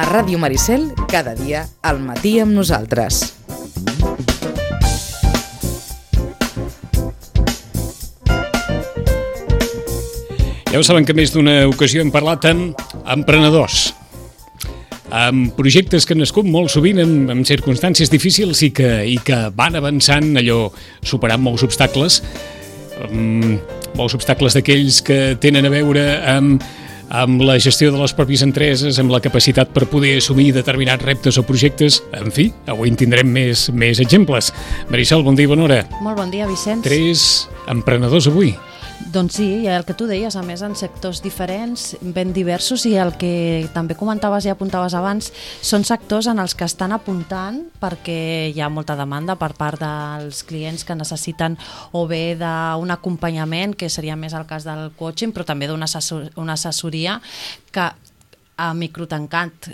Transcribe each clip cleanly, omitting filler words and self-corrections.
Ràdio Maricel, cada dia al matí amb nosaltres. Ja ho saben que més d'una ocasió hem parlat amb emprenedors, amb projectes que han nascut molt sovint en circumstàncies difícils i que van avançant, allò, superant molts obstacles d'aquells que tenen a veure amb la gestió de les pròpies empreses, amb la capacitat per poder assumir determinats reptes o projectes. En fi, avui en tindrem més exemples. Marisol, bon dia i bona hora. Molt bon dia, Vicenç. 3 emprenedors avui. Doncs sí, i el que tu deies, a més en sectors diferents, ben diversos, i el que també comentaves i apuntaves abans, són sectors en els que estan apuntant perquè hi ha molta demanda per part dels clients que necessiten o bé d'un acompanyament, que seria més el cas del coaching, però també d'una assessoria que a microtancat,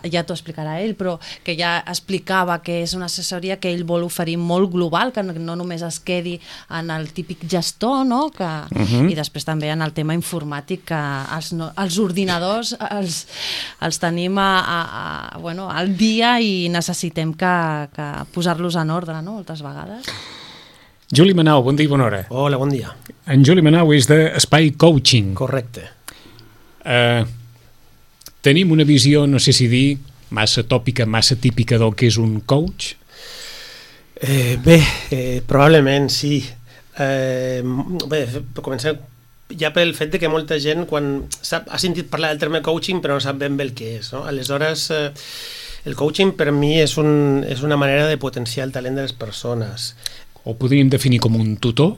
ja t'ho explicarà ell, però que ja explicava que és una assessoria que ell vol oferir molt global, que no només es quedi en el típic gestor, no? I després també en el tema informàtic, que els ordinadors els tenim al dia i necessitem que posar-los en ordre, no? Moltes vegades. Juli Manau, bon dia i bona hora. Hola, bon dia. En Juli Manau és d'Espai Coaching. Correcte. Tenim una visió, no sé si dir, massa tòpica, massa típica del que és un coach? Probablement sí. Comencem ja pel fet de que molta gent ha sentit parlar del terme coaching però no sap ben bé el que és, no? Aleshores, el coaching per mi és una manera de potenciar el talent de les persones. Ho podríem definir com un tutor?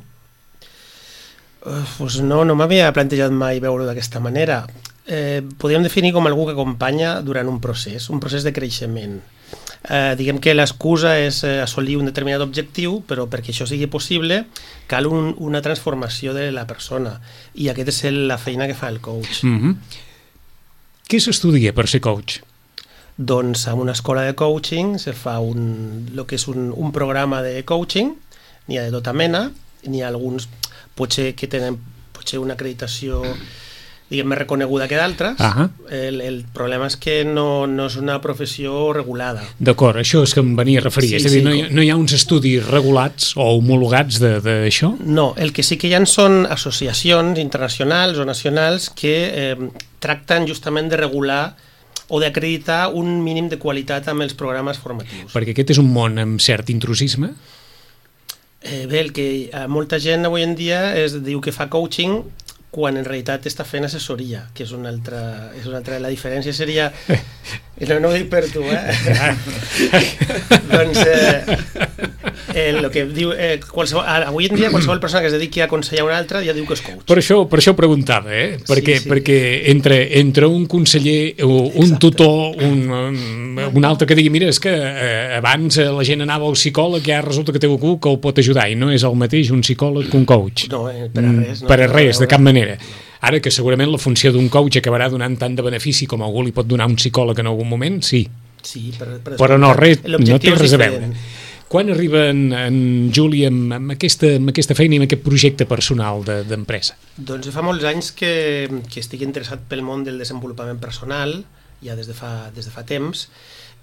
Pues no m'havia plantejat mai veure-ho d'aquesta manera. Podríem definir com algú que acompanya durant un procés de creixement. Diguem que l'excusa és assolir un determinat objectiu, però perquè això sigui possible cal una transformació de la persona, i aquesta és la feina que fa el coach. Què s'estudia per ser coach? Doncs en una escola de coaching se fa el que és un programa de coaching. N'hi ha de tota mena, n'hi ha alguns potser que tenen una acreditació diguem més reconeguda que d'altres. El problema és que no és una professió regulada. D'acord, això és que em venia a referir. És a dir, no hi ha uns estudis regulats o homologats d'això? No, el que sí que hi ha són associacions internacionals o nacionals que tracten justament de regular o d'acreditar un mínim de qualitat amb els programes formatius. Perquè aquest és un món amb cert intrusisme? Bé, el que molta gent avui en dia diu que fa coaching quan en realitat està fent assessoria, que és una altra... La diferència seria... No ho dic per tu, Doncs el que diu... avui en dia qualsevol persona que es dediqui a aconsellar una altra ja diu que és coach. Per això preguntava, perquè entre un conseller, un tutor, un altre que digui, mira, és que abans la gent anava al psicòleg i ara resulta que té algú que el pot ajudar, i no és el mateix un psicòleg que un coach. No, per a res. Per a res, de cap manera. Ara que segurament la funció d'un coach acabarà donant tant de benefici com algú li pot donar un psicòleg en algun moment, sí. Sí, però no té res a veure. Quan arriba en Juli amb aquesta feina i amb aquest projecte personal d'empresa? Doncs fa molts anys que estic interessat pel món del desenvolupament personal, ja des de fa temps,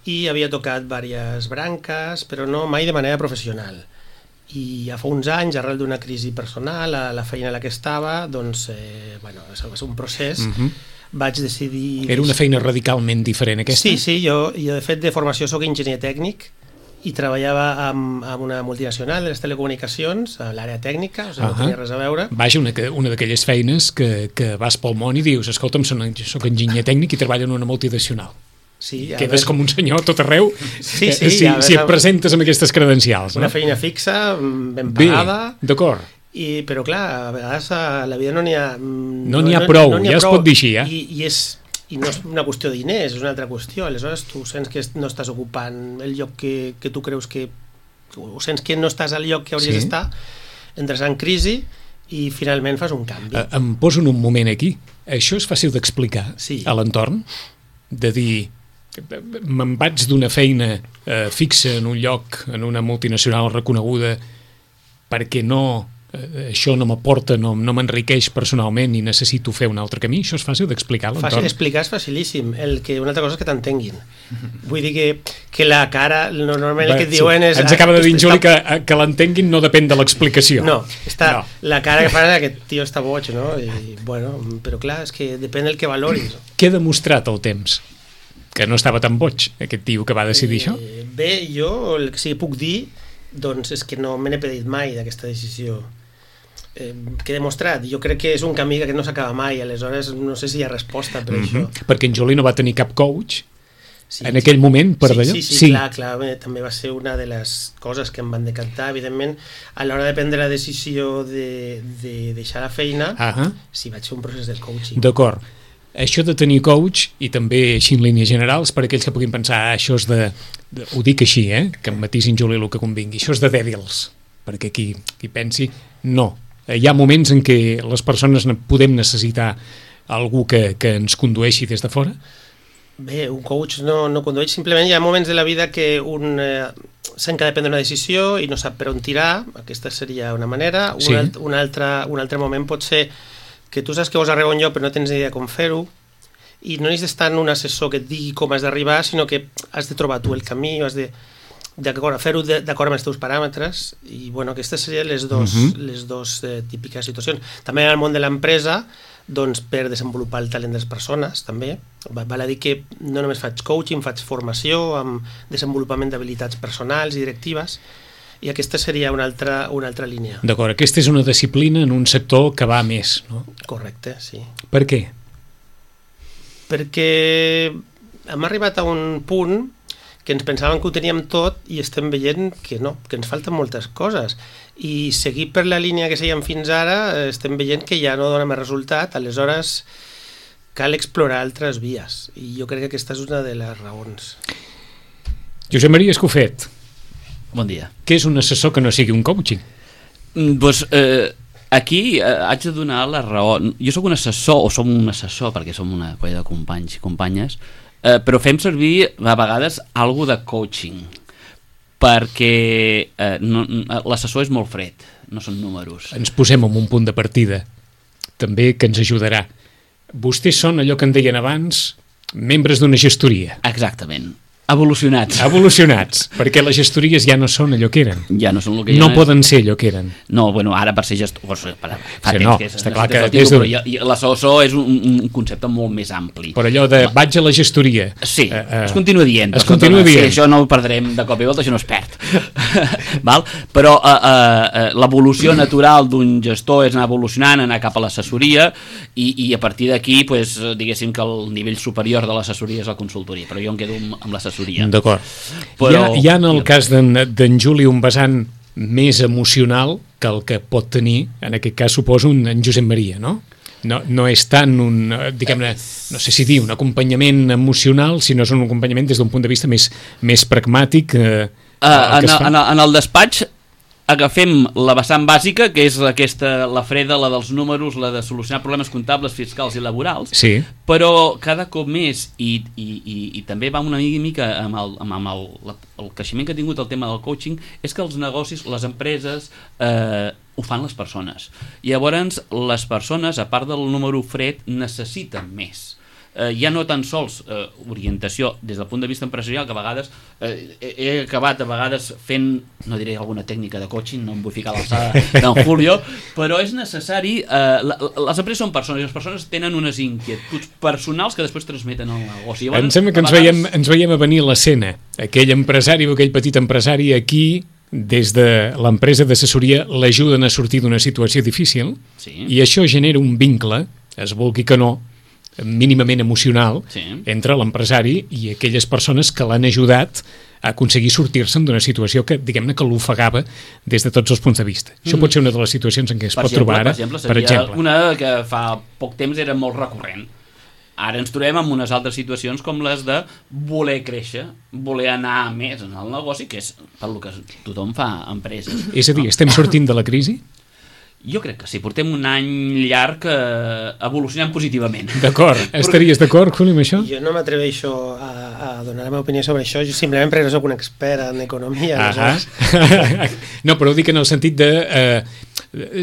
i havia tocat diverses branques, però no mai de manera professional. I ja fa uns anys, arrel d'una crisi personal, a la feina en la que estava, doncs, va ser un procés, vaig decidir... Era una feina radicalment diferent, aquesta? Sí, jo de fet de formació soc enginyer tècnic i treballava amb una multinacional de les telecomunicacions, a l'àrea tècnica, o sigui, no tenia res a veure. Vaja, una d'aquelles feines que vas pel món i dius, escolta'm, soc enginyer tècnic i treballo en una multinacional. Sí, quedes com un senyor tot arreu si et presentes amb aquestes credencials. Una feina fixa, ben pagada. Bé, d'acord. Però clar, a vegades a la vida no n'hi ha... No n'hi ha prou, ja es pot dir així, I no és una qüestió de diners, és una altra qüestió. Aleshores tu sents que no estàs ocupant el lloc que tu creus que... O sents que no estàs al lloc que hauries d'estar, entres en crisi i finalment fas un canvi. Em poso en un moment aquí. Això és fàcil d'explicar a l'entorn? De dir... me'n vaig d'una feina fixa en un lloc, en una multinacional reconeguda, perquè no això no m'aporta, no m'enriqueix personalment i necessito fer un altre camí, això és fàcil d'explicar a l'entorn? Explicar és facilíssim, una altra cosa és que t'entenguin. Vull dir que la cara, normalment el que et diuen és... Ens acaba de dir en Juli que l'entenguin no depèn de l'explicació. No, la cara que fan és aquest tio està boig, no? I, bueno, però clar, és que depèn del que valoris. Què ha demostrat el temps? Que no estava tan boig, aquest tio que va decidir això? Bé, jo el que sí que puc dir doncs és que no me n'he pedit mai d'aquesta decisió. Que he demostrat, jo crec que és un camí que no s'acaba mai, aleshores no sé si hi ha resposta per això. Perquè en Juli no va tenir cap coach en aquell moment per d'allò? Sí, clar, també va ser una de les coses que em van decantar, evidentment, a l'hora de prendre la decisió de deixar la feina, sí, vaig fer un procés del coaching. D'acord. Això de tenir coach, i també així en línies generals, per aquells que puguin pensar això és ho dic així, que em matisin Juli el que convingui, això és de dèbils, perquè qui pensi, no. Hi ha moments en què les persones podem necessitar algú que ens condueixi des de fora? Bé, un coach no condueix, simplement hi ha moments de la vida que un sent que ha de prendre una decisió i no sap per on tirar, aquesta seria una manera. Un altre moment pot ser que tu saps que vols arribar a un lloc però no tens idea com fer-ho, i no necessites tant un assessor que et digui com has d'arribar, sinó que has de trobar tu el camí, has de fer-ho d'acord amb els teus paràmetres, i bueno, aquestes serien les dos típiques situacions. També en el món de l'empresa, doncs per desenvolupar el talent de les persones, també. Val a dir que no només faig coaching, faig formació amb desenvolupament d'habilitats personals i directives, i aquesta seria una altra línia. D'acord, aquesta és una disciplina en un sector que va més, no? Correcte, sí. Per què? Perquè hem arribat a un punt que ens pensàvem que ho teníem tot i estem veient que no, que ens falten moltes coses. I seguir per la línia que seguíem fins ara estem veient que ja no dona més resultat, aleshores cal explorar altres vies. I jo crec que aquesta és una de les raons. Josep Maria Escofet. Bon dia. Què és un assessor que no sigui un coaching? Doncs aquí haig de donar la raó. Jo sóc un assessor, o som un assessor, perquè som una colla de companys i companyes, però fem servir a vegades alguna de coaching, perquè l'assessor és molt fred, no són números. Ens posem en un punt de partida, també que ens ajudarà. Vostès són allò que en deien abans, membres d'una gestoria. Exactament. Evolucionats, perquè les gestories ja no són allò que eren. Ja no són el que no poden ser allò que eren. No, bueno, ara per ser gestor... Fa temps no, que és... Està clar que l'assessor és un concepte molt més ampli. Però allò de vaig a la gestoria... Sí, es continua dient. Es continua dient. Sí, això no ho perdrem de cop i volta, això no es perd. Val? Però l'evolució natural d'un gestor és anar evolucionant, anar cap a l'assessoria, i a partir d'aquí, pues, diguéssim que el nivell superior de l'assessoria és la consultoria, però jo em quedo amb l'assessoria. D'acord. Però... Hi ha en el cas d'en Juli un vessant més emocional que el que pot tenir, en aquest cas suposo, en Josep Maria, no? No és tant un, diguem-ne, no sé si dir, un acompanyament emocional, sinó és un acompanyament des d'un punt de vista més pragmàtic. En el despatx agafem la vessant bàsica, que és la freda, la dels números, la de solucionar problemes comptables, fiscals i laborals, sí. Però cada cop més, i també va una mica amb el creixement que ha tingut el tema del coaching, és que els negocis, les empreses, ho fan les persones. I llavors les persones, a part del número fred, necessiten més. Ja no tan sols orientació des del punt de vista empresarial, que a vegades he acabat a vegades fent, no diré alguna tècnica de coaching, no em vull ficar a l'alçada d'en Julio, però és necessari, les empreses són persones i les persones tenen unes inquietuds personals que després transmeten al negoci. Em sembla que ens veiem a venir l'escena, aquell empresari o aquell petit empresari aquí, des de l'empresa d'assessoria l'ajuden a sortir d'una situació difícil, sí. I això genera un vincle, es vulgui que no, mínimament emocional, sí. Entre l'empresari i aquelles persones que l'han ajudat a aconseguir sortir-se'n d'una situació que, diguem-ne, que l'ofegava des de tots els punts de vista. Això pot ser una de les situacions en què es pot trobar ara. Per exemple, una que fa poc temps era molt recurrent. Ara ens trobem en unes altres situacions com les de voler créixer, voler anar més en el negoci, que és per lo que tothom fa empreses. És a dir, estem sortint de la crisi? Jo crec que sí, portem un any llarg evolucionant positivament. D'acord, estaries d'acord, Juli, amb això? Jo no m'atreveixo a donar la meva opinió sobre això, jo simplement perquè no soc un expert en economia. No, però ho dic en el sentit de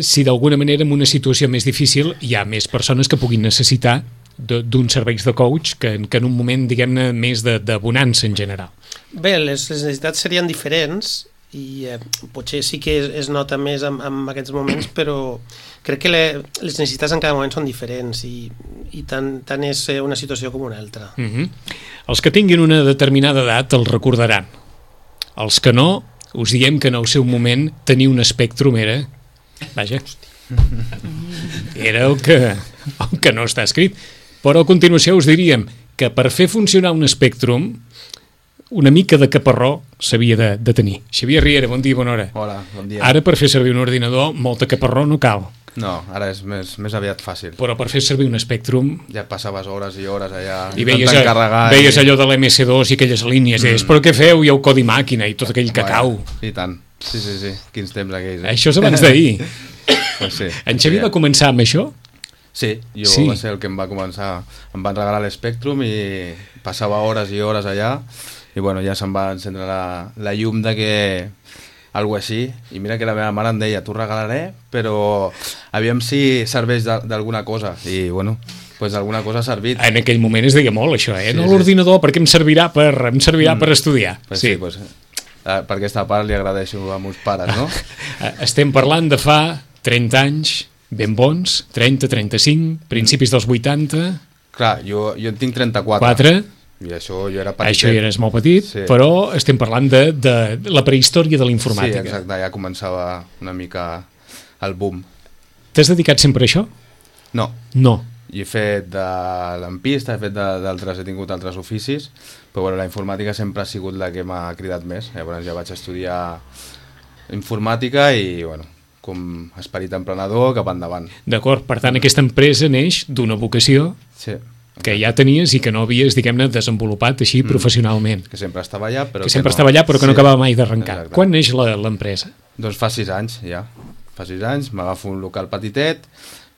si d'alguna manera en una situació més difícil hi ha més persones que puguin necessitar d'uns serveis de coach que en un moment, diguem-ne, més de bonança en general. Bé, les necessitats serien diferents i potser sí que es nota més en aquests moments, però crec que les necessitats en cada moment són diferents i tant és una situació com una altra. Els que tinguin una determinada edat els recordaran. Els que no, us diem que en el seu moment tenir un Spectrum era... Vaja, era el que no està escrit. Però a continuació us diríem que per fer funcionar un Spectrum una mica de caparró s'havia de tenir. Xavier Riera, bon dia, bona hora. Hola, bon dia. Ara per fer servir un ordinador molta caparró no cal. No, ara és més aviat fàcil. Però per fer servir un Spectrum... Ja passaves hores i hores allà i veies allò de l'MS2 i aquelles línies. Però què feu? I el codi màquina i tot aquell cacau. I tant. Sí. Quins temps aquells. Això és abans d'ahir. Pues sí. En Xavier va començar amb això? Sí, va ser el que em va començar. Em van regalar l'Spectrum i passava hores i hores allà i bueno, ja se'm va encendre la llum de que algo així, i mira que la meva mare em deia, t'ho regalaré, però aviam si serveix d'alguna cosa, i bueno, pues alguna cosa ha servit. En aquell moment es deia molt això, no l'ordinador, perquè em servirà per estudiar. Pues sí, pues, per aquesta part li agradeixo a meus pares, no? Estem parlant de fa 30 anys, ben bons, 30, 35, principis dels 80... Clar, jo en tinc 34. 4... I això jo era petit. Això ja eres molt petit, sí. Però estem parlant de la prehistòria de la informàtica. Sí, exacte, ja començava una mica el boom. T'has dedicat sempre a això? No. No. I he fet de lampista, he tingut altres oficis, però bueno, la informàtica sempre ha sigut la que m'ha cridat més. Llavors ja vaig estudiar informàtica i bueno, com esperit emprenedor cap endavant. D'acord, per tant aquesta empresa neix d'una vocació... Sí. Que ja tenies i que no havies, diguem-ne, desenvolupat així professionalment. Que sempre estava allà, però que no acabava mai d'arrencar. Quan neix l'empresa? Doncs fa 6 anys, ja. Fa 6 anys, m'agafo un local petitet,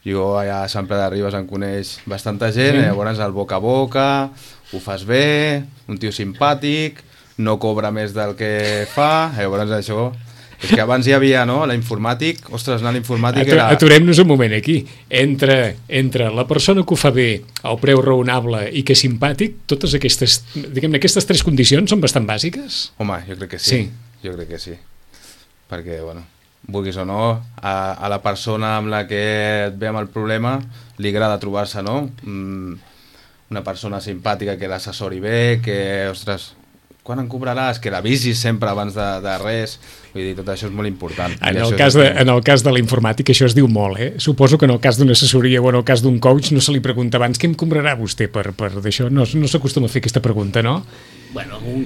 jo allà a Sant Pere de Ribes em coneix bastanta gent, llavors el boca a boca, ho fas bé, un tio simpàtic, no cobra més del que fa, llavors això... És que abans hi havia, no?, l'informàtic, ostres, anar a l'informàtic era... Aturem-nos un moment aquí. Entre la persona que ho fa bé, el preu raonable i que és simpàtic, totes aquestes, diguem-ne, aquestes 3 condicions són bastant bàsiques? Home, jo crec que sí. Jo crec que sí. Perquè, bueno, vulguis o no, a la persona amb la que et ve amb el problema li agrada trobar-se, no? Una persona simpàtica que l'assessori bé, que, ostres... quan em cobraràs, que l'avisis sempre abans de res, vull dir, tot això és molt important. En el cas de la informàtica això es diu molt, Suposo que en el cas d'una assessoria o en el cas d'un coach no se li pregunta abans què em cobrarà vostè per d'això, no s'acostuma a fer aquesta pregunta, no? Bueno, algun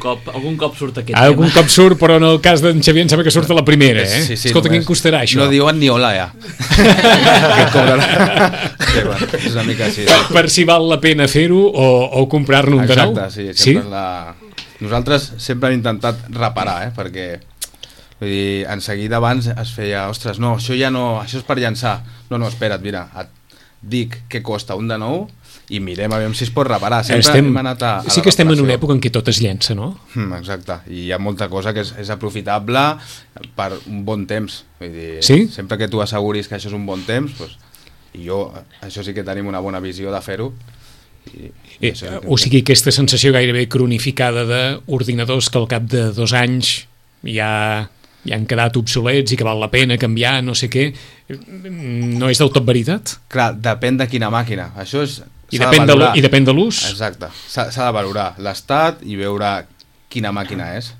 cop surt aquest Algun cop surt, però en el cas d'en Xavier em sembla que surt a la primera, Sí, escolta, què em costarà això? No diuen ni hola, ja. Que et cobrarà. Sí, bueno, és una mica així. Per si val la pena fer-ho o comprar-ne un de nou? Exacte, sí, sempre Nosaltres sempre hem intentat reparar, perquè vull dir, en seguida abans es feia, ostres, no, això ja no, això és per llançar. No, espera't, mira, et dic què costa un de nou i mirem a veure si es pot reparar. Sempre hem anat a sí que estem en una època en què tot es llença, no? Exacte, i hi ha molta cosa que és aprofitable per un bon temps. Vull dir, sempre que tu asseguris que això és un bon temps, doncs, i jo, això sí que tenim una bona visió de fer-ho. O sigui, aquesta sensació gairebé cronificada d'ordinadors que al cap de 2 anys ja han quedat obsolets i que val la pena canviar, no sé què, no és del tot veritat? Clar, depèn de quina màquina. Això és... I depèn de l'ús? Exacte. S'ha de valorar l'estat i veure quina màquina és.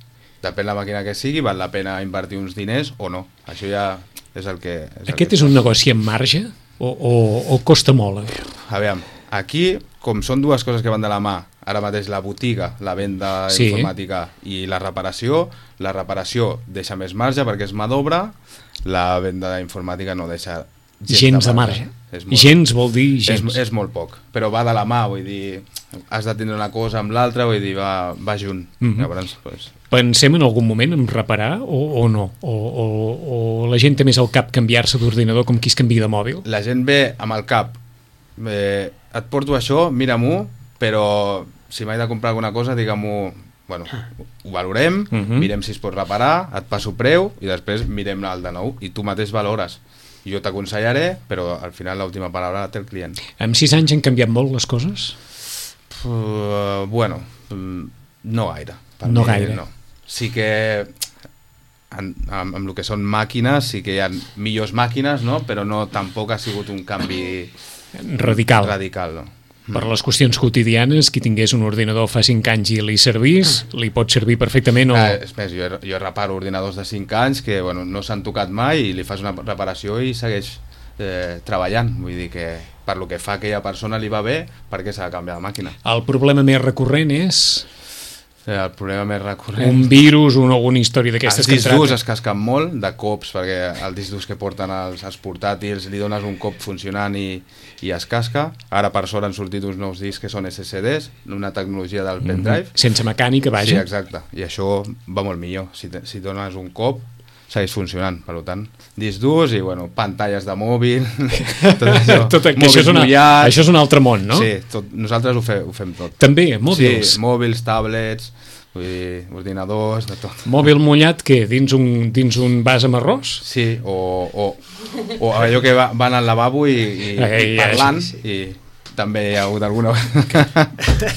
Depèn la màquina que sigui, val la pena invertir uns diners o no. Això ja és el que... Aquest és un negoci amb marge o costa molt? Aviam, aquí, com són dues coses que van de la mà, ara mateix la botiga, la venda informàtica i la reparació deixa més marge perquè és mà d'obra, la venda d'informàtica no deixa gens de marge. Gens vol dir gens. És molt poc, però va de la mà, vull dir, has de tindre una cosa amb l'altra, vull dir, va junt. Llavors, pues... Pensem en algun moment en reparar o no? O la gent té més al cap canviar-se d'ordinador com qui es canvia de mòbil? La gent ve amb el cap, et porto això, mira-m'ho, però si m'he de comprar alguna cosa, digue-m'ho, bueno, ho valorem, mirem si es pot reparar, et passo preu i després mirem el de nou i tu mateix valores. jo t'aconsellaré, però al final l'última paraula la té el client. Amb 6 anys han canviat molt les coses? Bueno, no gaire. No gaire. No. Sí que amb el que són màquines sí que hi ha millors màquines, no? Però no, tampoc ha sigut un canvi radical, no? Per les qüestions quotidianes, qui tingués un ordinador fa 5 anys i li servís, li pot servir perfectament o... És més, jo reparo ordinadors de 5 anys que bueno, no s'han tocat mai i li fas una reparació i segueix treballant. Vull dir que per lo que fa a aquella persona li va bé, per què s'ha de canviar de màquina? El problema més recurrent és... El problema més recurrent... Un virus o alguna història d'aquestes que els discs durs es casquen molt de cops, perquè el disc durs que porten els portàtils li dones un cop funcionant i es casca. Ara per sort han sortit uns nous discs que són SSDs, una tecnologia del pendrive. Sense mecànica, vaja. Sí, exacte. I això va molt millor. Si dones un cop, segueix funcionant. Per tant, discs durs i bueno, pantalles de mòbil, tot això. Això és un altre món, no? Sí, nosaltres ho fem tot. També, mòbils? Sí, mòbils, tablets, vull dir, ordinadors, de tot. Mòbil mullat, què? Dins un vas amb arròs? Sí, o allò que van al lavabo i parlant, i també hi ha hagut alguna...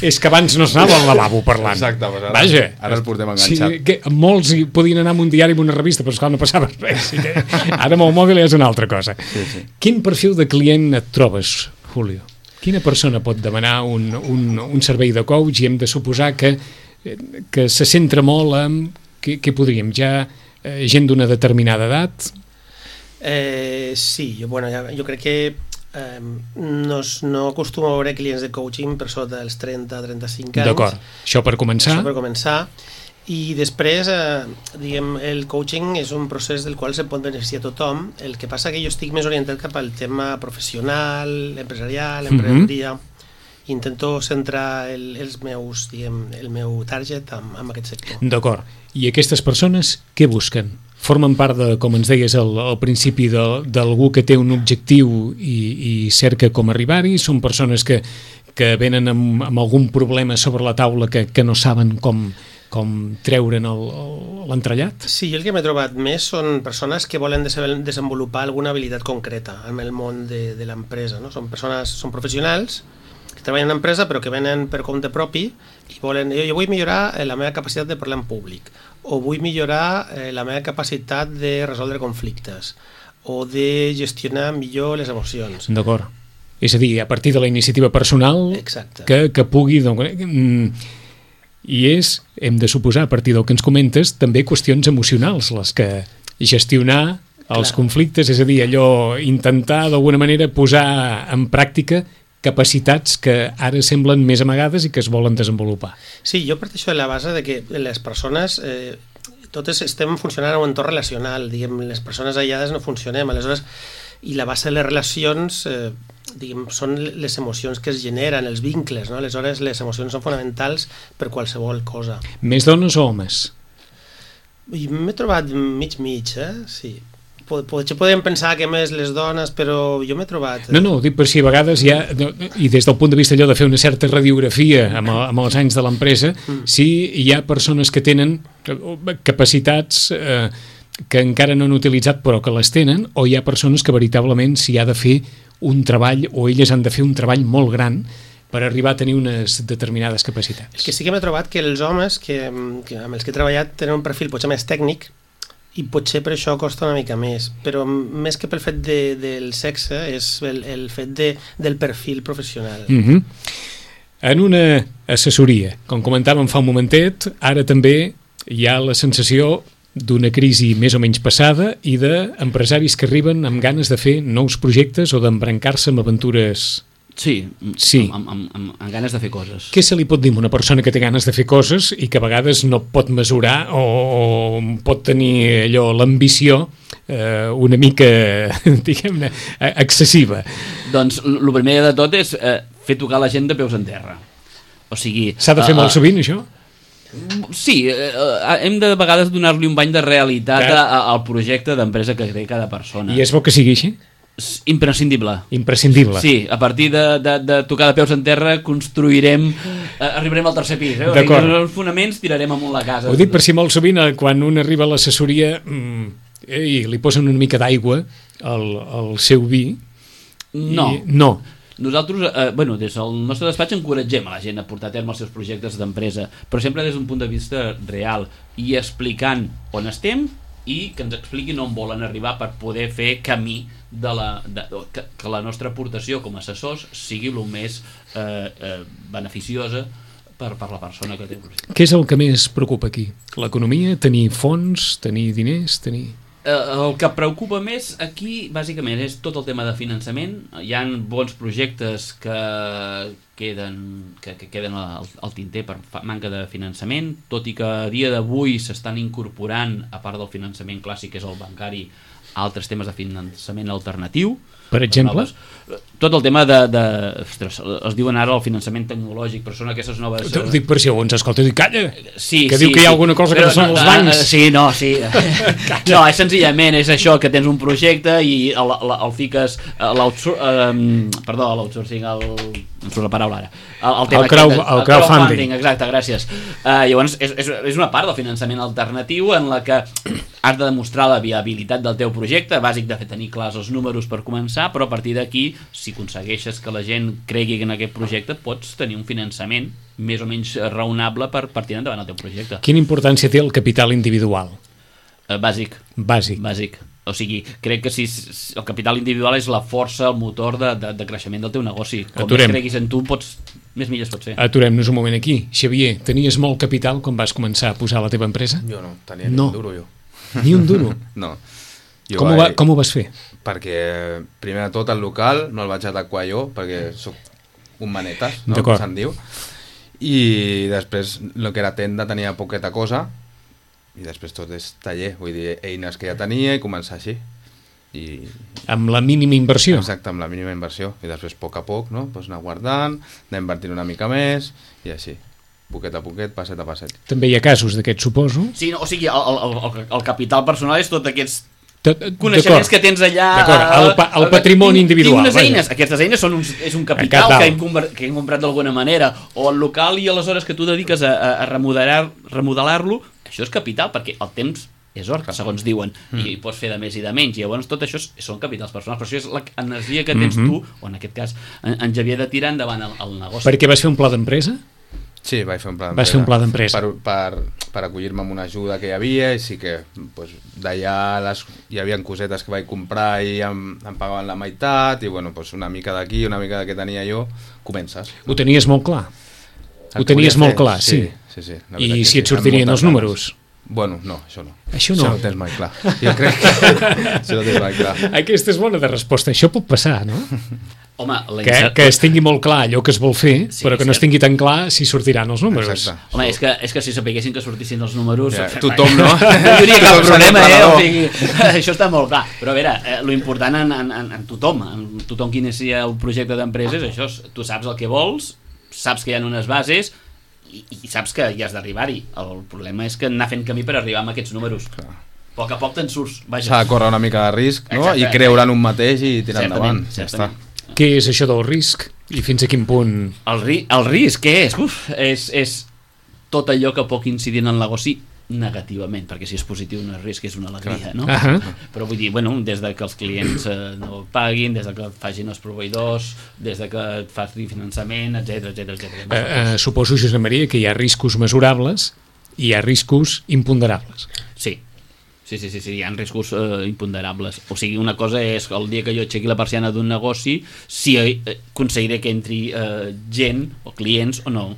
És que abans no s'anava al lavabo parlant. Exacte, pues ara el portem enganxat. Sí, molts podien anar amb un diari i amb una revista, però esclar, no passava res. Ara amb el mòbil és una altra cosa. Sí. Quin perfil de client et trobes, Julio? Quina persona pot demanar un servei de coach i hem de suposar que se centra molt en, què podríem, ja gent d'una determinada edat? Sí, jo crec que no acostumo a veure clients de coaching per sota dels 30-35 anys. D'acord, això per començar. I després, diguem, el coaching és un procés del qual se pot beneficiar tothom. El que passa que jo estic més orientat cap al tema professional, empresarial, emprenedoria. Intento centrar el meu target en aquest sector. D'acord. I aquestes persones què busquen? Formen part de, com ens deies al principi, d'algú que té un objectiu i cerca com arribar-hi? Són persones que venen amb algun problema sobre la taula que no saben com treure'n l'entrellat? Sí, jo el que m'he trobat més són persones que volen desenvolupar alguna habilitat concreta en el món de l'empresa, no? Són professionals que treballen en empresa però que venen per compte propi i volen, jo vull millorar la meva capacitat de parlar en públic, o vull millorar la meva capacitat de resoldre conflictes, o de gestionar millor les emocions. D'acord. És a dir, a partir de la iniciativa personal que pugui... I hem de suposar, a partir del que ens comentes, també qüestions emocionals, les que gestionar els conflictes, és a dir, allò, intentar d'alguna manera posar en pràctica capacitats que ara semblen més amagades i que es volen desenvolupar. Sí, jo parteixo de la base de que les persones, totes estem funcionant en un entorn relacional, diguem, les persones aïllades no funcionem, aleshores, i la base de les relacions, diguem, són les emocions que es generen, els vincles, no? Aleshores les emocions són fonamentals per qualsevol cosa. Més dones o homes? M'he trobat mig, sí. Potser podríem pensar que més les dones, però jo m'he trobat... No, dic per si a vegades hi ha, i des del punt de vista allò de fer una certa radiografia amb els anys de l'empresa, si hi ha persones que tenen capacitats que encara no han utilitzat però que les tenen, o hi ha persones que veritablement s'hi ha de fer un treball, o elles han de fer un treball molt gran per arribar a tenir unes determinades capacitats. El que sí que m'he trobat que els homes amb els que he treballat tenen un perfil potser més tècnic, i potser per això costa una mica més, però més que pel fet del sexe és el fet del perfil professional. En una assessoria, com comentàvem fa un momentet, ara també hi ha la sensació d'una crisi més o menys passada i d'empresaris que arriben amb ganes de fer nous projectes o d'embrancar-se amb aventures... Sí. Amb ganes de fer coses. Què se li pot dir a una persona que té ganes de fer coses i que a vegades no pot mesurar o pot tenir allò, l'ambició una mica, diguem-ne, excessiva? Doncs el primer de tot és fer tocar la gent de peus en terra. O sigui... S'ha de fer molt sovint, això? Sí, hem de vegades donar-li un bany de realitat al projecte d'empresa que té cada persona. I és bo que sigui així? Imprescindible. Sí, a partir de tocar de peus en terra construirem, arribarem al tercer pis, D'acord. Els fonaments tirarem amunt la casa. Ho dic per si molt sovint quan un arriba a l'assessoria i li posen una mica d'aigua al seu vi. No. No. Nosaltres, des del nostre despatx encoratgem a la gent a portar a terme els seus projectes d'empresa, però sempre des d'un punt de vista real i explicant on estem i que ens expliquin on volen arribar per poder fer camí que la nostra aportació com a assessors sigui el més beneficiosa per la persona que té el projecte. Què és el que més preocupa aquí? L'economia? Tenir fons? Tenir diners? El que preocupa més aquí, bàsicament, és tot el tema de finançament. Hi ha bons projectes que queden al tinter per manca de finançament, tot i que a dia d'avui s'estan incorporant, a part del finançament clàssic, que és el bancari, altres temes de finançament alternatiu. Per exemple? Tot el tema ostres, es diuen ara el finançament tecnològic, però són aquestes noves... Ho dic per si algú ens escolta i diu, calla, sí, que diu que hi ha alguna cosa que no són els bancs. Sí. No, és senzillament és això, que tens un projecte i el fiques l'outsourcing, em surt la paraula ara. El crowdfunding. Exacte, gràcies. Llavors, és una part del finançament alternatiu en la que has de demostrar la viabilitat del teu projecte, bàsic de tenir clars els números per començar, però a partir d'aquí, si aconsegueixes que la gent cregui en aquest projecte, pots tenir un finançament més o menys raonable per tirar endavant el teu projecte. Quina importància té el capital individual? Bàsic. O sigui, crec que si el capital individual és la força, el motor de creixement del teu negoci. Com més creguis en tu, més milles pots fer. Aturem-nos un moment aquí. Xavier, tenies molt capital quan vas començar a posar la teva empresa? Jo no, tenia ni un duro jo. Ni un duro? No. Com ho vas fer? Perquè, primer de tot, el local no el vaig adequar jo, perquè sóc un manetes, no? Com se'n diu. I després, el que era tenda tenia poqueta cosa, i després tot és taller, vull dir, eines que ja tenia i començar així. Amb la mínima inversió? Exacte, amb la mínima inversió. I després, a poc, no? Pues anar guardant, anar invertint una mica més, i així. Poquet a poquet, passet a passet. També hi ha casos d'aquests, suposo? Sí, o sigui, el capital personal és tot aquests coneixements que tens allà... D'acord, el patrimoni individual. Tinc unes eines, aquestes eines és un capital que hem comprat d'alguna manera, o el local i aleshores que tu dediques a remodelar-lo, això és capital, perquè el temps és or, segons diuen, i pots fer de més i de menys, i llavors tot això són capitals personals, però això és l'energia que tens tu, o en aquest cas en Xavier, de tirar endavant el negoci. Per què vas fer un pla d'empresa? Sí, vaig fer un pla d'empresa. Vas fer un pla d'empresa. Per acollir-me amb una ajuda que hi havia, i sí que d'allà hi havia cosetes que vaig comprar i em pagaven la meitat, i una mica d'aquí, una mica que tenia jo, comences. Ho tenies molt clar? Ho tenies molt clar, sí. I si et sortirien els números? Bueno, no, això no. Això no tens mai clar. Jo crec que això no tens mai clar. Aquesta és bona de resposta. Això pot passar, no? Home, que es tingui molt clar allò que es vol fer, però que no es tingui tan clar si sortiran els números. Exacte. Home, és que si sapiguessin que sortissin els números... Ja, tothom, no? No hi hauria cap problema, o sigui, això està molt clar. Però a veure, lo important en tothom qui inicia el projecte d'empresa és això, tu saps el que vols, saps que hi ha unes bases i saps que hi has d'arribar-hi. El problema és que anar fent camí per arribar amb aquests números. A poc a poc te'n surts. S'ha de córrer una mica de risc, no? I creure en un mateix i tirar endavant. Ja està. Què és això del risc? I fins a quin punt? El risc, què és? És tot allò que pot incidir en el negoci negativament, perquè si és positiu no és risc, és una alegria, no? Però vull dir, des de que els clients no paguin, des de que facin els proveïdors, des de que et faci finançament, etc. Suposo, Josep Maria, que hi ha riscos mesurables i hi ha riscos imponderables. Sí, hi ha riscos imponderables. O sigui, una cosa és el dia que jo aixequi la persiana d'un negoci, si aconseguiré que entri gent o clients o no.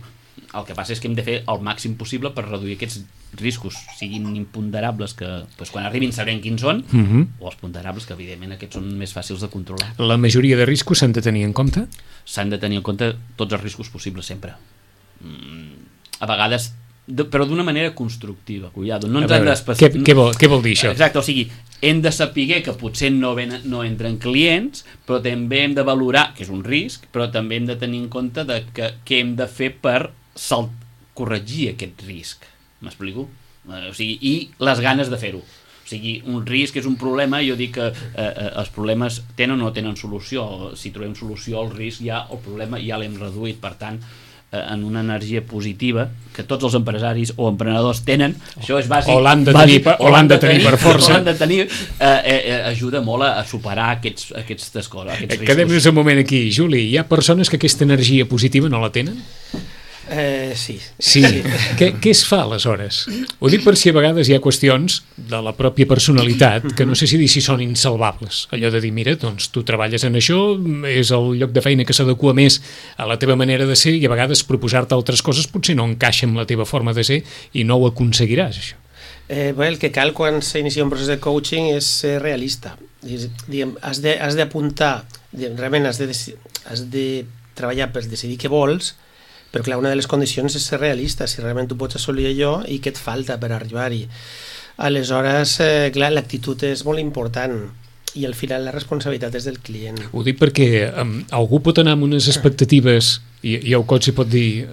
El que passa és que hem de fer el màxim possible per reduir aquests riscos, siguin imponderables, que quan arribin sabrem quins són, o els ponderables, que evidentment aquests són més fàcils de controlar. La majoria de riscos s'han de tenir en compte? S'han de tenir en compte tots els riscos possibles, sempre. A vegades, però d'una manera constructiva, cuidado. No ens han d'especificar... Què vol dir això? Exacte, o sigui, hem de saber que potser no entren clients, però també hem de valorar, que és un risc, però també hem de tenir en compte què hem de fer per corregir aquest risc. M'explico? O sigui, i les ganes de fer-ho. O sigui, un risc és un problema, jo dic que els problemes tenen o no tenen solució. Si trobem solució al risc, el problema ja l'hem reduït. Per tant, en una energia positiva que tots els empresaris o emprenedors tenen, això és bàsic, o l'han de tenir per força, ajuda molt a superar aquestes coses, aquests riscos. Quedem-nos un moment aquí, Juli, hi ha persones que aquesta energia positiva no la tenen? Sí. Què es fa aleshores? Ho dic per si a vegades hi ha qüestions de la pròpia personalitat que no sé si dir si són insalvables, allò de dir, mira, doncs tu treballes en això, és el lloc de feina que s'adequa més a la teva manera de ser i a vegades proposar-te altres coses potser no encaixa amb la teva forma de ser i no ho aconseguiràs, això. El que cal quan s'inicia un procés de coaching és ser realista. Has d'apuntar, realment has de treballar per decidir què vols, però clar, una de les condicions és ser realista, si realment tu pots assolir allò i què et falta per arribar-hi. Aleshores, clar, l'actitud és molt important i al final la responsabilitat és del client. Ho dic perquè algú pot anar amb unes expectatives i el coach pot dir,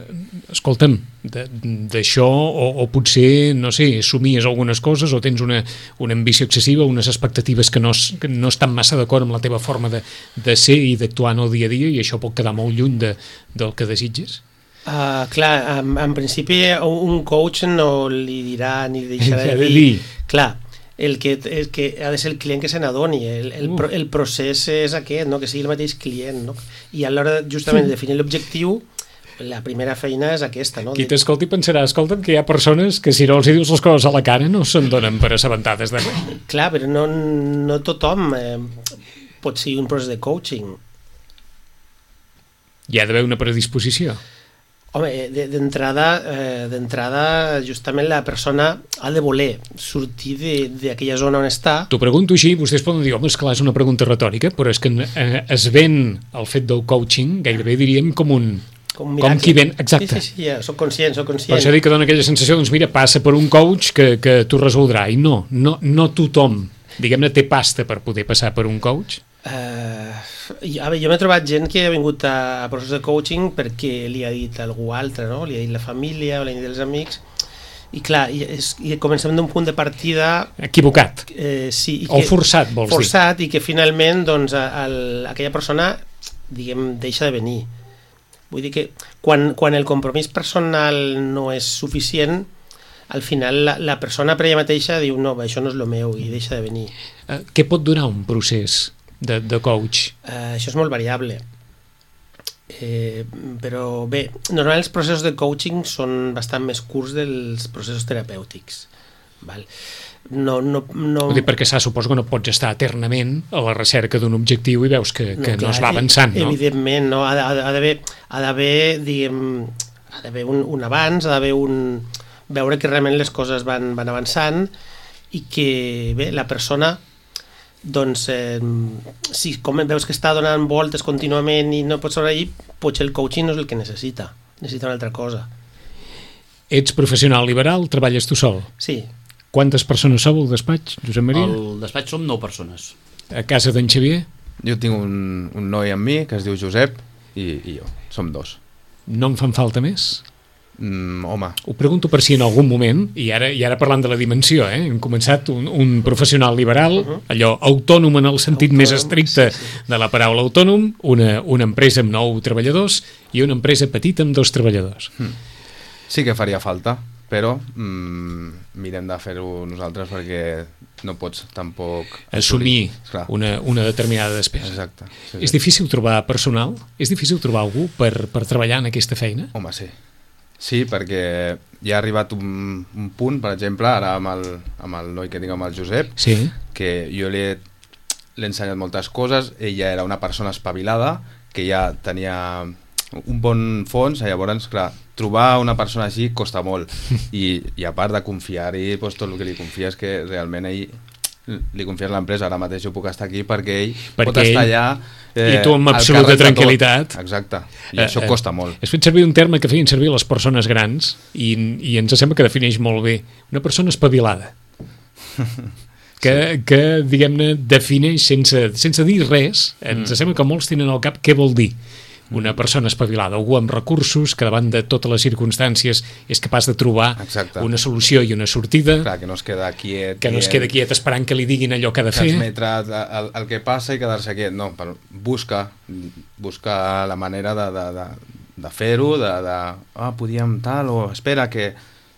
escolta'm, d'això o potser, no sé, somies algunes coses o tens una ambició excessiva, unes expectatives que no estan massa d'acord amb la teva forma de ser i d'actuar en el dia a dia i això pot quedar molt lluny del que desitges? Clar, en principi un coach no li dirà ni deixarà de dir. Clar, el que ha de ser el client que se n'adoni, el procés és aquest, no? Que sigui el mateix client, no? I a l'hora justament de definir l'objectiu, la primera feina és aquesta, no? Qui t'escolti pensarà, escolta'm, que hi ha persones que si no els dius les coses a la cara no se'n donen per assabentades de res. Clar, però no tothom pot ser un procés de coaching. Hi ha d'haver una predisposició. Home, d'entrada justament la persona ha de voler sortir d'aquella zona on està. T'ho pregunto així, vostès poden dir, home, esclar, és una pregunta retòrica, però és que es ven el fet del coaching, gairebé diríem com qui ven, exacte. Sí, ja, soc conscient. Per això dic que dona aquella sensació, doncs mira, passa per un coach que t'ho resoldrà, i no tothom, diguem-ne, té pasta per poder passar per un coach. Jo m'he trobat gent que ha vingut a procés de coaching perquè li ha dit algú altre, no? Li ha dit la família o li ha dit els amics i clar, i comencem d'un punt de partida equivocat, sí, o forçat, vols dir, i que finalment doncs, aquella persona diguem, deixa de venir. Vull dir que quan el compromís personal no és suficient, al final la persona per ella mateixa diu no, això no és el meu i deixa de venir. Què pot durar un procés de coach? Això és molt variable, però bé, normalment els processos de coaching són bastant més curts dels processos terapèutics, val? No... Vull dir, perquè suposo que no pots estar eternament a la recerca d'un objectiu i veus que no es va avançant, no? Evidentment, no? Ha d'haver diguem, ha d'haver un abans, ha d'haver veure que realment les coses van avançant i que bé, la persona doncs si com veus que està donant voltes contínuament i no pots sobreir, potser el coaching no és el que necessita una altra cosa. Ets professional liberal, treballes tu sol? Sí. Quantes persones sou al despatx, Josep Maria? Al despatx som 9 persones. A casa d'en Xavier? Jo tinc un noi amb mi que es diu Josep i jo, som 2. No en fan falta més? Home. Ho pregunto per si en algun moment, i ara parlant de la dimensió, hem començat un professional liberal, allò autònom en el sentit més estricte de la paraula autònom, una empresa amb 9 treballadors i una empresa petita amb 2 treballadors. Sí que faria falta, però mirem de fer-ho nosaltres perquè no pots tampoc assumir una determinada despesa. Exacte. Sí. És difícil trobar personal? És difícil trobar algú per treballar en aquesta feina? Home, sí. Sí, perquè ja ha arribat un punt, per exemple, ara amb el noi que tinc amb el Josep, sí, que jo l'he ensenyat moltes coses, ella era una persona espavilada, que ja tenia un bon fons, llavors, clar, trobar una persona així costa molt, i a part de confiar-hi, doncs, tot el que li confies que realment ell li confies l'empresa, ara mateix jo puc estar aquí perquè ell pot estar allà i tu amb absoluta tranquil·litat. Exacte, i això costa molt. Has fet servir un terme que feien servir les persones grans i ens sembla que defineix molt bé una persona espavilada que diguem-ne defineix sense dir res, ens sembla que molts tenen al cap què vol dir una persona espavilada, algú amb recursos que davant de totes les circumstàncies és capaç de trobar una solució i una sortida. Clar, que no es queda quiet. Que no es queda quiet esperant que li diguin allò que ha de fer. Transmetre el que passa i quedar-se quiet. No, busca la manera fer-ho, podíem tal, o espera que...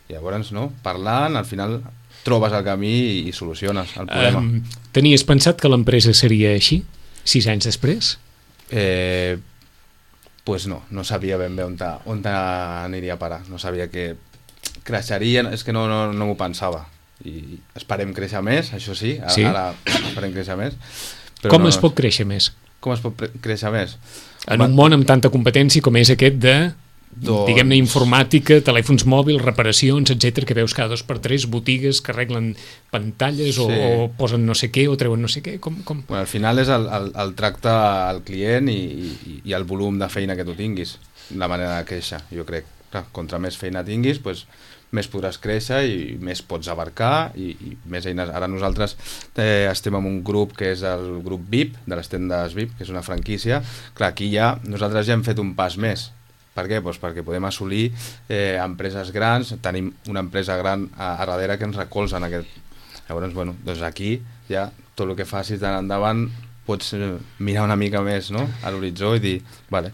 I llavors, no, parlant, al final trobes el camí i soluciones el problema. Tenies pensat que l'empresa seria així, 6 anys després? Pues no sabia ben bé on aniria a parar, no sabia que creixerien, és que no m'ho pensava, i esperem créixer més, això sí, ara esperem créixer més. Però com es pot créixer més? Com es pot créixer més? En un món amb tanta competència com és aquest de, diguem-ne, informàtica, telèfons mòbils, reparacions, etc, que veus cada 2 per 3 botigues que arreglen pantalles o posen no sé què o treuen no sé què. Bueno, al final és el tracte al client i el volum de feina que tu tinguis, la manera de créixer, jo crec. Clar, contra més feina tinguis, doncs, més podràs créixer i més pots abarcar i més eines. Ara nosaltres estem en un grup que és el grup VIP, de les tendes VIP, que és una franquícia. Clar, aquí nosaltres ja hem fet un pas més. Per què? Doncs perquè podem assolir empreses grans, tenim una empresa gran a darrere que ens recolza en aquest... Llavors, bueno, doncs aquí ja tot el que facis d'ara endavant pots mirar una mica més, no?, a l'horitzó i dir, vale,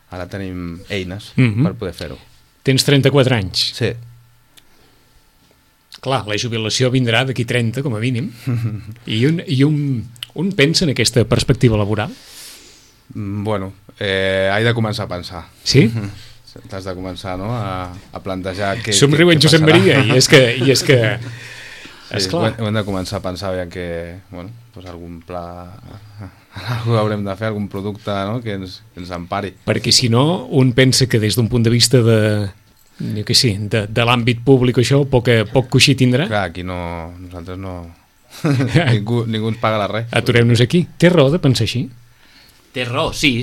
ara tenim eines per poder fer-ho. Tens 34 anys. Sí. Clar, la jubilació vindrà d'aquí 30, com a mínim. I un pensa en aquesta perspectiva laboral? Bueno, he de començar a pensar. Sí? T'has de començar, no?, a plantejar què somriu en Josep Maria, i és que esclar. Hem de començar a pensar que, bueno, doncs algun pla... Algú haurem de fer, algun producte, no?, que ens empari. Perquè si no, un pensa que des d'un punt de vista de l'àmbit públic això poc coixí tindrà. Clar, aquí nosaltres no... ningú ens paga res. Aturem-nos aquí. Té raó de pensar així? Té raó, sí,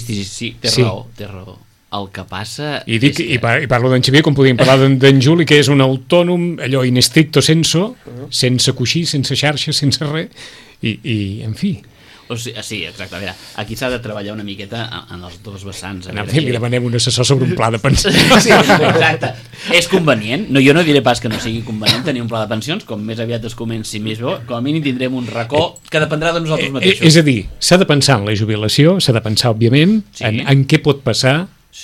té raó. El que passa... I parlo d'en Xavier, com podíem parlar d'en Juli, que és un autònom, allò in stricto sensu, sense coixí, sense xarxa, sense res, i en fi... Sí, exacte. A veure, aquí s'ha de treballar una miqueta en els dos vessants. Li demanem un assessor sobre un pla de pensions. Sí, exacte. És convenient. Jo no diré pas que no sigui convenient tenir un pla de pensions, com més aviat es comenci més bo, com a mínim tindrem un racó que dependrà de nosaltres mateixos. És a dir, s'ha de pensar en la jubilació, s'ha de pensar, òbviament, en què pot passar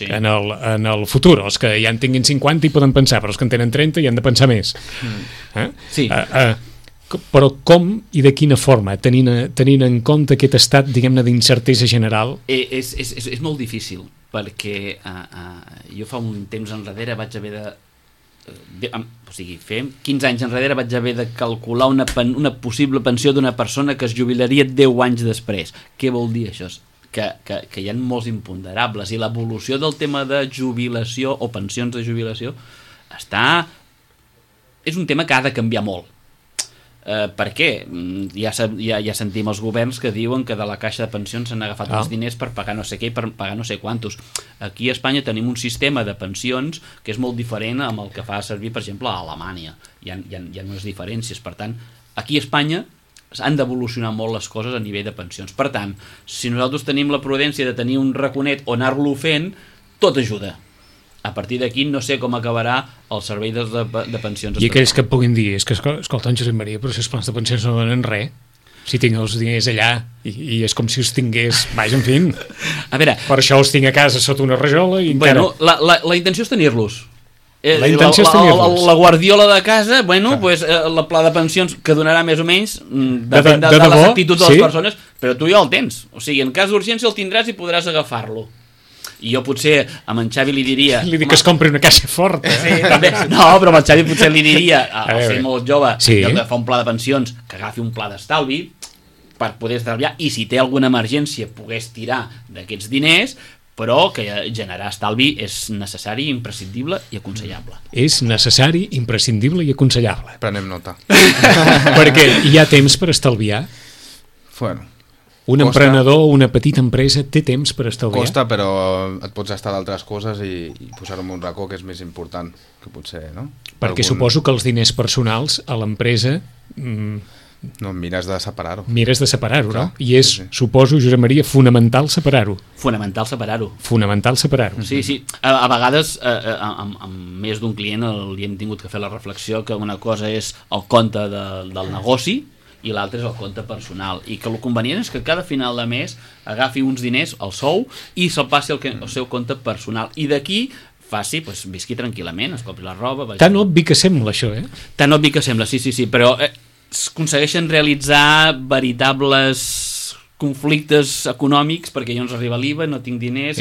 en el futur. Els que ja en tinguin 50 hi poden pensar, però els que en tenen 30 hi han de pensar més. Sí. Però com i de quina forma, tenint en compte aquest estat, diguem-ne, d'incertesa general? És molt difícil, perquè jo fa un temps enrere vaig haver fer 15 anys enrere vaig haver de calcular una possible pensió d'una persona que es jubilaria 10 anys després. Què vol dir això? Que hi ha molts imponderables i l'evolució del tema de jubilació o pensions de jubilació és un tema que ha de canviar molt. Per què? Ja sentim els governs que diuen que de la caixa de pensions s'han agafat els diners per pagar no sé què i per pagar no sé quantos. Aquí a Espanya tenim un sistema de pensions que és molt diferent amb el que fa servir, per exemple, a Alemanya. Hi ha unes diferències. Per tant, aquí a Espanya han d'evolucionar molt les coses a nivell de pensions. Per tant, si nosaltres tenim la prudència de tenir un raconet o anar-lo fent, tot ajuda. A partir d'aquí no sé com acabarà el servei de pensions. I aquells que et puguin dir, és que escolta, en Josep Maria, però si els plans de pensions no donen res, si tinc els diners allà i és com si els tingués, vaja, en fi. A veure, per això els tinc a casa sota una rajola i encara... La intenció és tenir-los. La intenció és tenir-los. La guardiola de casa, pues, la pla de pensions que donarà més o menys depèn de les actituds de les persones, però tu ja el tens. O sigui, en cas d'urgència el tindràs i podràs agafar-lo. I jo potser amb en Xavi li diria... Li dic que es compri una caixa forta. Sí, també. No, però amb en Xavi potser li diria, al ser molt jove, que fa un pla de pensions, que agafi un pla d'estalvi per poder estalviar, i si té alguna emergència pogués tirar d'aquests diners, però que generar estalvi és necessari, imprescindible i aconsellable. És necessari, imprescindible i aconsellable. Prenem nota. Perquè hi ha temps per estalviar? Bueno... Un emprenedor o una petita empresa té temps per estalviar? Costa, però et pots estar d'altres coses i posar-ho en un racó que és més important que potser, no? Perquè suposo que els diners personals a l'empresa... No, mires de separar-ho. Mires de separar-ho, no? I és, suposo, Josep Maria, fonamental separar-ho. Fonamental separar-ho. Fonamental separar-ho. Sí. A vegades, amb més d'un client li hem tingut que fer la reflexió que una cosa és el compte del negoci i l'altre és el compte personal, i que el convenient és que cada final de mes agafi uns diners, el sou, i se'l passi al seu compte personal, i d'aquí faci, doncs, visqui tranquil·lament, es compri la roba... Tan obvi que sembla això, Tan obvi que sembla, sí, però aconsegueixen realitzar veritables conflictes econòmics perquè jo no arriba l'IVA, no tinc diners,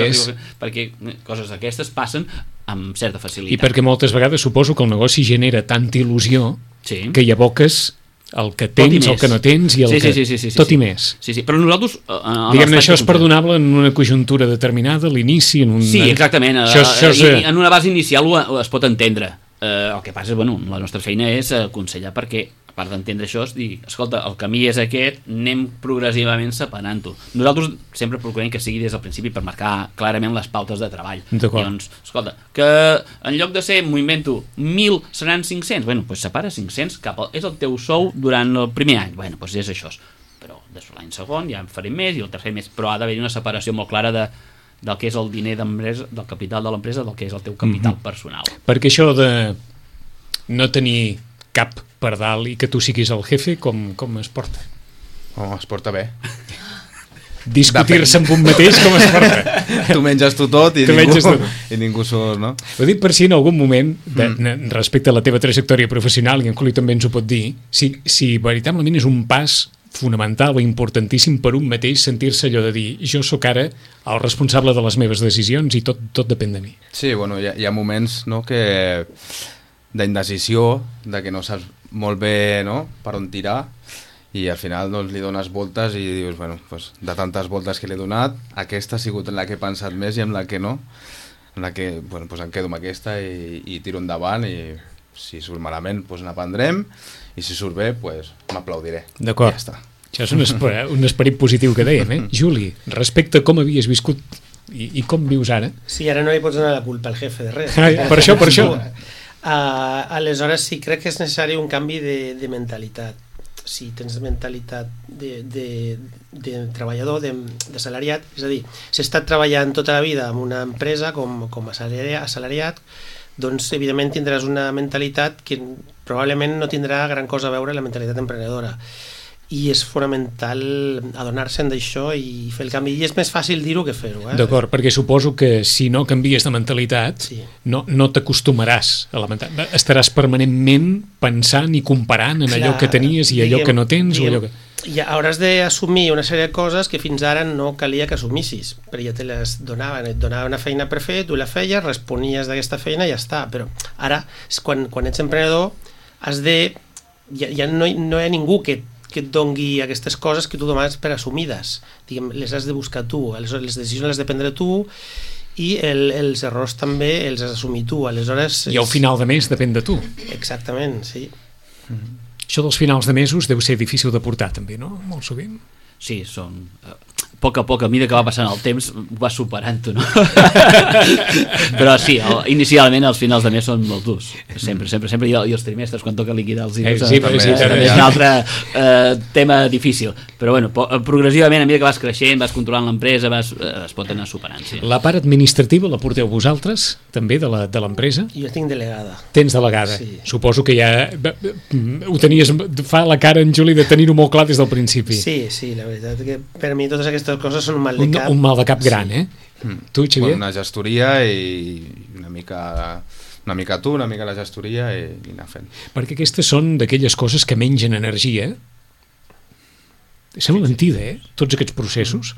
perquè coses d'aquestes passen amb certa facilitat. I perquè moltes vegades suposo que el negoci genera tanta il·lusió que hi aboques el que tens, el que no tens i el tot i més. Sí, però nosaltres... Diguem-ne, això és perdonable en una conjuntura determinada, l'inici... Sí, exactament. En una base inicial es pot entendre. El que passa és, la nostra feina és aconsellar perquè, a part d'entendre això, és dir, escolta, el camí és aquest, anem progressivament separant-ho. Nosaltres sempre procurem que sigui des del principi per marcar clarament les pautes de treball. Doncs, escolta, que en lloc de ser, m'ho invento, 1.000 seran 500, doncs separa 500 és el teu sou durant el primer any, doncs és això. Però l'any segon ja en farem més i el tercer més, però ha d'haver-hi una separació molt clara del que és el diner d'empresa, del capital de l'empresa, del que és el teu capital personal. Perquè això de no tenir cap per dalt i que tu siguis el jefe, com es porta? Es porta bé. Discutir-se amb un mateix, com es porta? Tu menges tu tot i ningú surt, no? Ho dic per si en algun moment, respecte a la teva trajectòria professional, i en Juli també ens ho pot dir, si veritablement és un pas fonamental o importantíssim per un mateix sentir-se allò de dir, jo sóc ara el responsable de les meves decisions i tot depèn de mi. Sí, hi ha moments que d'indecisió, de que no saps molt bé per on tirar, i al final li dones voltes i dius, de tantes voltes que li he donat, aquesta ha sigut la que he pensat més i amb la que no, en la que em quedo amb aquesta i tiro endavant, i si surt malament n'aprendrem, i si surt bé m'aplaudiré. D'acord, ja està. Això és un esperit positiu que dèiem, Juli, respecte a com havies viscut i com vius ara. Sí, ara no li pots donar la culpa al jefe de res. Per això. Aleshores sí, crec que és necessari un canvi de mentalitat. Si tens mentalitat de treballador, de assalariat, és a dir, si has estat treballant tota la vida en una empresa com a assalariat, doncs evidentment tindràs una mentalitat que probablement no tindrà gran cosa a veure amb la mentalitat emprenedora. I és fonamental adonar-se'n d'això i fer el canvi. I és més fàcil dir-ho que fer-ho. D'acord, perquè suposo que si no canvies de mentalitat no t'acostumaràs a la mentalitat. Estaràs permanentment pensant i comparant en allò que tenies i allò que no tens. Ja hauràs d'assumir una sèrie de coses que fins ara no calia que assumissis, però ja te les donaven, et donaven una feina per fer, tu la feies, responies d'aquesta feina i ja està. Però ara, quan ets emprenedor, has de... ja no hi ha ningú que et dongui aquestes coses que tu dones per assumides. Diguem, les has de buscar tu, les decisions les has de prendre tu i els errors també els has d'assumir tu. Aleshores, i al final de mes depèn de tu. Exactament, sí. Això dels finals de mesos deu ser difícil de portar també, no? Molt sovint. Sí, són... A poc, a mesura que va passant el temps, va superant-ho, no? Però sí, inicialment els finals de mes són molt durs. Sempre. I els trimestres, quan toca liquidar els diners, és un altre tema difícil. Però progressivament, a mesura que vas creixent, vas controlant l'empresa, es pot anar superant. Sí. La part administrativa la porteu vosaltres, també, de l'empresa? Jo tinc delegada. Tens delegada. Sí. Suposo que ja ho tenies... Fa la cara en Juli de tenir-ho molt clar des del principi. Sí, la veritat que per mi totes aquestes coses són un mal de cap. Un mal de cap gran, Tu, Xavier? Una gestoria i una mica tu, una mica la gestoria i anar fent. Perquè aquestes són d'aquelles coses que mengen energia. Sembla mentida, tots aquests processos.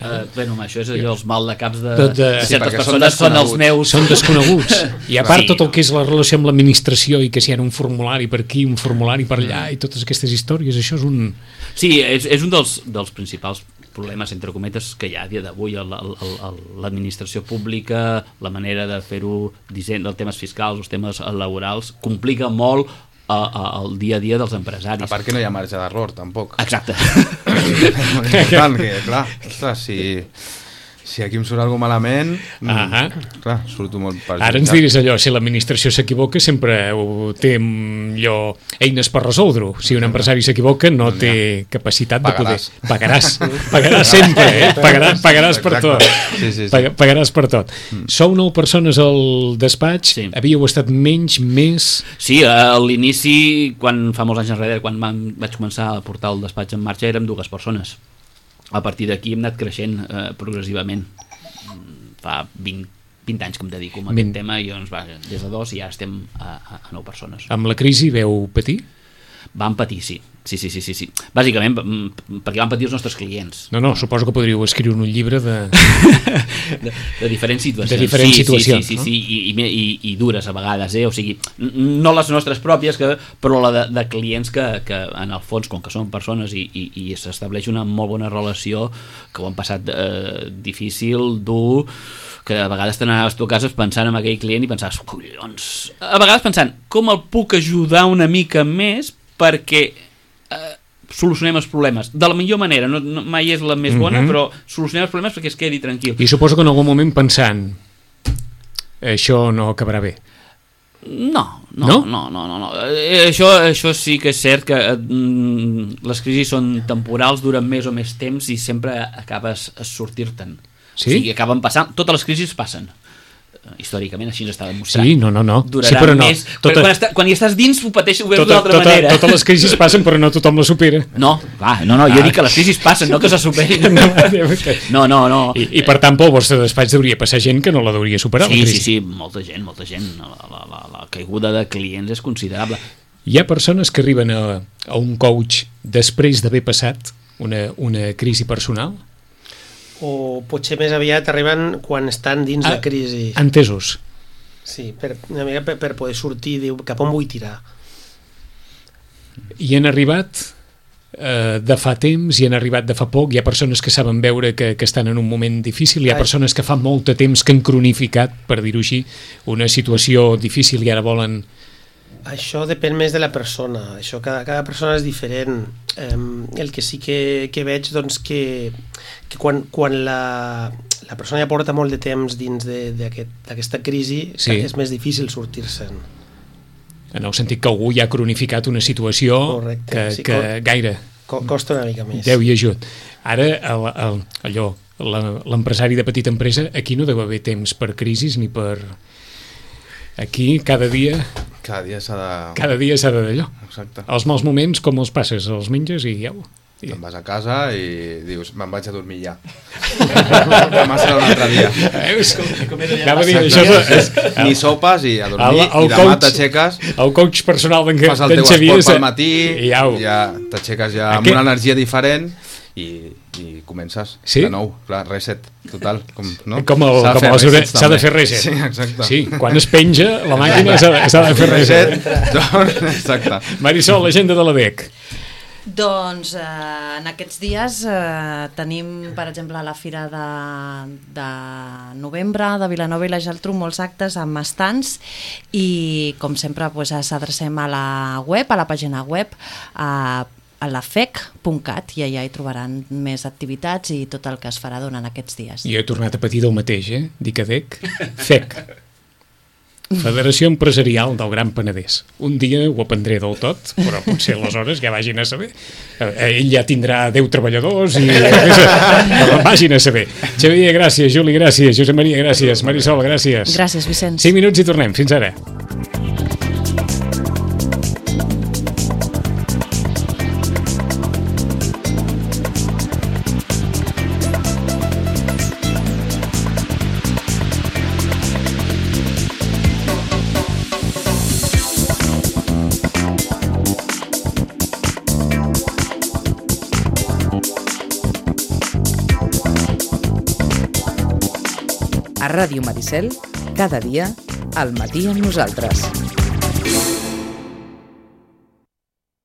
Això és allò, els mal de caps de certes perquè persones són els meus. Són desconeguts. I a part tot el que és la relació amb l'administració i que si hi ha un formulari per aquí, un formulari per allà i totes aquestes històries, això és un... Sí, és un dels principals problemes, entre cometes, que hi ha a dia d'avui l'administració pública, la manera de fer-ho, els temes fiscals, els temes laborals, complica molt el dia a dia dels empresaris. A part que no hi ha marge d'error, tampoc. Exacte. Clar, si Si aquí em surt alguna malament, clar, surto molt perjudicat. Ara ens diries allò, si l'administració s'equivoca sempre té eines per resoldre-ho. Si un empresari s'equivoca no té capacitat de poder... Pagaràs sempre, pagaràs per tot. Sí. Pagaràs per tot. Sou 9 persones al despatx, havíeu estat menys, més... Sí, a l'inici, quan fa molts anys enrere, quan vaig començar a portar el despatx en marxa, érem 2 persones. A partir d'aquí hem anat creixent progressivament. Fa 20 anys que em dedico a aquest tema i doncs, des de 2 ja estem a 9 persones. Amb la crisi veu patir? Vam patir, sí. Bàsicament perquè van patir els nostres clients. No, suposo que podríeu escriure un llibre de diferents situacions. De diferents situacions. Sí, i dures a vegades, o sigui, no les nostres pròpies, però la de clients que en el fons, com que són persones i s'estableix una molt bona relació, que ho han passat difícil, dur, que a vegades t'anaves tu a casa pensant en aquell client i pensaves, collons, a vegades pensant, com el puc ajudar una mica més perquè solucionem els problemes de la millor manera, mai és la més bona, però solucionem els problemes perquè es quedi tranquil. I suposo que en algun moment pensant això no acabarà bé. No. Això sí que és cert que les crisis són temporals, duren més o més temps i sempre acabes a sortir-te'n. Sí? O sigui, acaben passant, totes les crisis passen. Històricament així ens està demostrat. Sí, no. Durarà més. Quan hi estàs dins ho pateixes, ho veus d'una altra manera. Totes les crisis passen, però no tothom les supera. No, jo dic que les crisis passen, no que se superin. No. I per tant, pel vostre despatx hauria passar gent que no la hauria superar, la crisi. Sí, molta gent. La caiguda de clients és considerable. Hi ha persones que arriben a un coach després d'haver passat una crisi personal? O potser més aviat arriben quan estan dins la crisi. Entesos. Sí, una mica per poder sortir, diu, cap on vull tirar. I han arribat de fa temps, i han arribat de fa poc. Hi ha persones que saben veure que estan en un moment difícil, hi ha persones que fa molt de temps que han cronificat, per dir-ho així, una situació difícil i ara volen... Això depèn més de la persona, cada persona és diferent. El que sí que veig doncs, que quan la persona ja porta molt de temps dins d'aquesta crisi, és més difícil sortir-se'n. En el sentit que algú ja ha cronificat una situació que gaire costa una mica més. Déu i ajut. Ara l'empresari de petita empresa, aquí no deu haver temps per crisis ni per... Aquí cada dia s'ha d'allò. Exacte. Els mals moments, com els passes? Els menges i ja... Te'n vas a casa i dius, me'n vaig a dormir ja. Demà serà un altre dia. Ni sopes i a dormir, i demà t'aixeques, el coach personal d'en Xavier, fas el teu esport pel matí, ja t'aixeques ja amb una energia diferent i comences de nou, clar, reset total, s'ha de fer reset. Sí, exacte. Sí, quan es penja la màquina s'ha de fer reset. Exacte. Marisol, l'agenda de l'ADEC. Doncs en aquests dies tenim, per exemple, a la Fira de novembre de Vilanova i la Geltrú molts actes amb estants i, com sempre, s'adrecem a la web, a la pàgina web, a la fec.cat, i allà hi trobaran més activitats i tot el que es farà durant aquests dies. Jo he tornat a patir del mateix, dic ADEC, FEC. Federació Empresarial del Gran Penedès. Un dia ho aprendré del tot, però potser aleshores ja vagin a saber. Ell ja tindrà 10 treballadors i vagin a saber. Xavier, gràcies. Juli, gràcies. Josep Maria, gràcies. Marisol, gràcies. Gràcies, Vicenç. 5 minuts i tornem. Fins ara. A Ràdio Maricel, cada dia, al matí amb nosaltres.